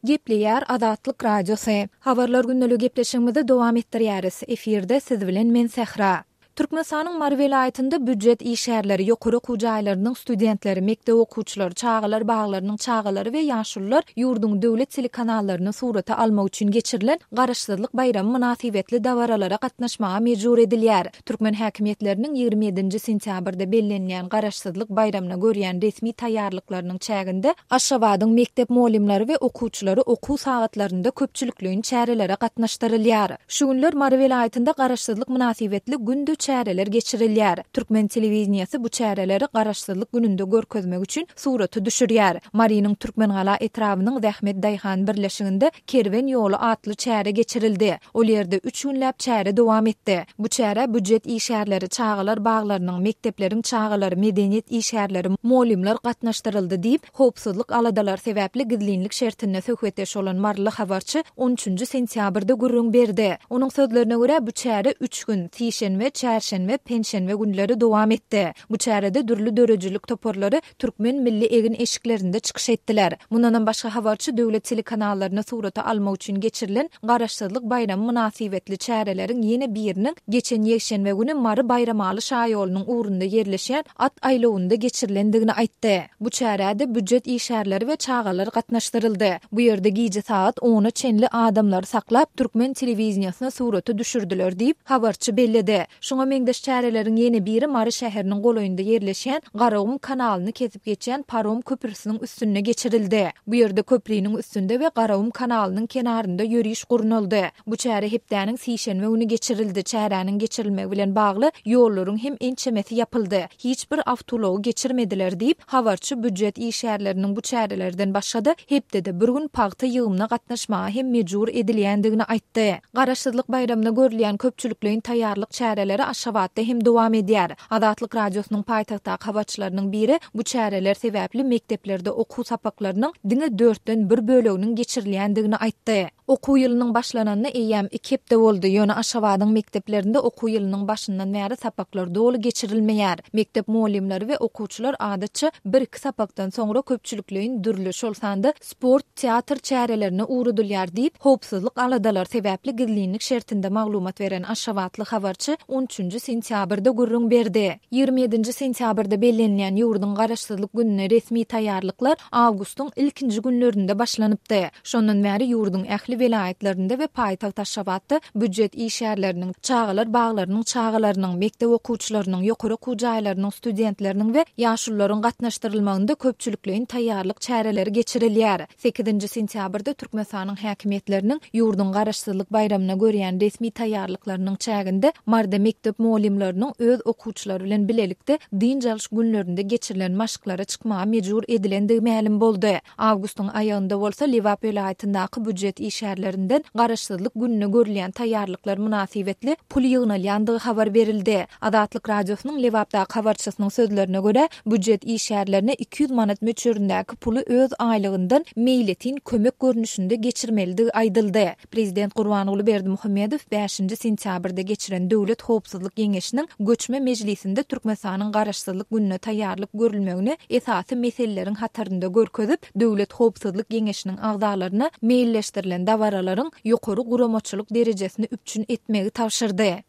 Gepleýär Azatlyk Radiosy. Habarlar gündeligi gepleşigimizi dowam etdirýäris. Efirde siz bilen men Sähra. Türkmenistanyň Mary welaýatynda býujet işgärleri, ýokary okuw jaýlarynyň studentleri, mekdep okuwçylary, çagalar baglarynyň çagalary we ýaşulular ýurduň döwlet telekanallaryny surata almak üçin geçirilen Garaşsyzlyk baýramy mynasybetli dabaralara gatnaşmaga mejbur edilýär. Türkmen häkimiýetleriniň 27-nji sentýabrda bellenilýän Garaşsyzlyk baýramyna görýän resmi taýýarlyklarynyň çäginde Aşgabadyň mekdep mugallymlary we okuwçylary okuw sagatlarynda köpçülikleýin çärelere gatnaşdyrylýar. Şu günler Mary welaýatynda Garaşsyzlyk mynasybetli günde çäreler geçirilýär. Türkmen telewideniýesi bu çäreleri Garaşsyzlyk gününde görkezmek üçin surata düşürýär. Marynyň Türkmengala etrabynyň Zähmet daýhan birleşiginde Kerwen ýoly atly çäre geçirildi. Ol ýerde üç günläp çäre dowam etdi. Bu çärä býujet işgärleri, çagalar baglarynyň, mekdepleriň çagalary, medeniýet işgärleri, mugallymlar gatnaşdyryldy diýip, howpsuzlyk aladalary sebäpli gizlinlik şertinde söhbetdeş bolan maryly habarçy on üçünji sentýabrda gürrüň berdi. Onuň sözlerine görä, bu çäre üç gün, sişenbe, çärşenbe, penşenbe günleri dowam etdi. Bu çärede dürli döredijilik toparlary türkmen milli egin-eşiklerinde çykyş etdiler. Mundanam başga habarçy döwlet telekanallaryny surata almak üçin geçirilen Garaşsyzlyk baýramy mynasybetli çäreleriň ýene biriniň geçen ýekşenbe güni Mary-Baýramaly şaýolunyň ugrunda ýerleşýän at aýlawynda geçirilendigini aýtdy. Bu çärä-de býujet işgärleri we çagalar gatnaşdyryldy. Bu ýerde gije sagat ona çenli adamlary saklap, türkmen telewideniýesine surata düşürdiler diýip, habarçy belledi. Şuňa meňzeş çäreleriň ýene biri Mary şäheriniň golaýynda ýerleşýän Garagum kanalyny kesip geçýän parom köprüsiniň üstünde geçirildi. Bu ýerde köpriniň üstünde we Garagum kanalynyň kenarynda ýöriş gurnaldy. Bu çäre hepdäniň sişenbe güni geçirildi. Çäräniň geçirilmegi bilen bagly ýollaryň hem ençemesi ýapyldy. Hiç bir awtoulagy geçirmediler diýip, habarçy býujet işgärleriniň bu çärelerden başga-da hepdede bir gün pagta ýygymyna gatnaşmaga hem mejbur edilýändigini aýtdy. Garaşsyzlyk baýramyna görülýän köpçülikleýin taýýarlyk çäreleri Aşgabatda hem dowam edýär. Azatlyk Radiosynyň paýtagtdaky habarçylarynyň biri bu çäreler sebäpli mekdeplerde okuw sapaklarynyň diňe dörtden bir böleginiň geçirilýändigini aýtdy. Okuw ýylynyň başlananyna eýýäm iki hepde boldy, ýöne Aşgabadyň mekdeplerinde okuw ýylynyň başyndan bäri sapaklar doly geçirilmeýär. Mekdep mugallymlary we okuwçylar adatça bir-iki sapakdan soňra köpçülikleýin dürli, şol sanda sport, teatr çärelerine ugradylýar diýip, howpsuzlyk aladalary sebäpli gizlinlik şertinde maglumat beren aşgabatly habarçy on üçünji sentýabrda gürrüň berdi. 27-nji sentýabrda bellenilýän ýurduň Garaşsyzlyk gününe resmi taýýarlyklar awgustyň ilkinji günlerinde başlanypdy. Şondan bäri ýurduň ähli welaýatlarynda we paýtagt Aşgabatda býujet işgärleriniň, çagalar baglarynyň çagalarynyň, mekdep okuwçylarynyň, ýokary okuw jaýlarynyň studentleriniň we ýaşulularyň gatnaşdyrylmagynda köpçülikleýin taýýarlyk çäreleri geçirilýär. Sekizinji sentýabrda Türkmenistanyň häkimiýetleriniň ýurduň Garaşsyzlyk baýramyna görýän resmi taýýarlyklarynyň çäginde Maryda mekdep mugallymlarynyň öz okuwçylary bilen bilelikde dynç alyş günlerinde geçirilen maşklara çykmaga mejbur edilendigi mälim boldy. Awgustyň aýagynda bolsa Lebap welaýatyndaky býujet işgärlerinden Garaşsyzlyk gününe görülýän taýýarlyklar mynasybetli pul ýygnalýandygy habar berildi. Azatlyk Radiosynyň Lebapdaky habarçysynyň sözlerine görä, býujet işgärlerine 200 manat möçberindäki puly öz aýlygyndan meýletin kömek görnüşinde geçirmelidigi aýdyldy. Prezident Gurbanguly Berdimuhamedow bäşinji sentýabrda geçiren Döwlet howpsuzlyk geňeşiniň göçme mejlisinde Türkmenistanyň Garaşsyzlyk gününe taýýarlyk görülmegini esasy meseleleriň hatarynda görkezip, Döwlet howpsuzlyk geňeşiniň agzalaryna meýilleşdirilen dabaralaryň ýokary guramaçylyk derejesini üpjün etmegi tabşyrdy.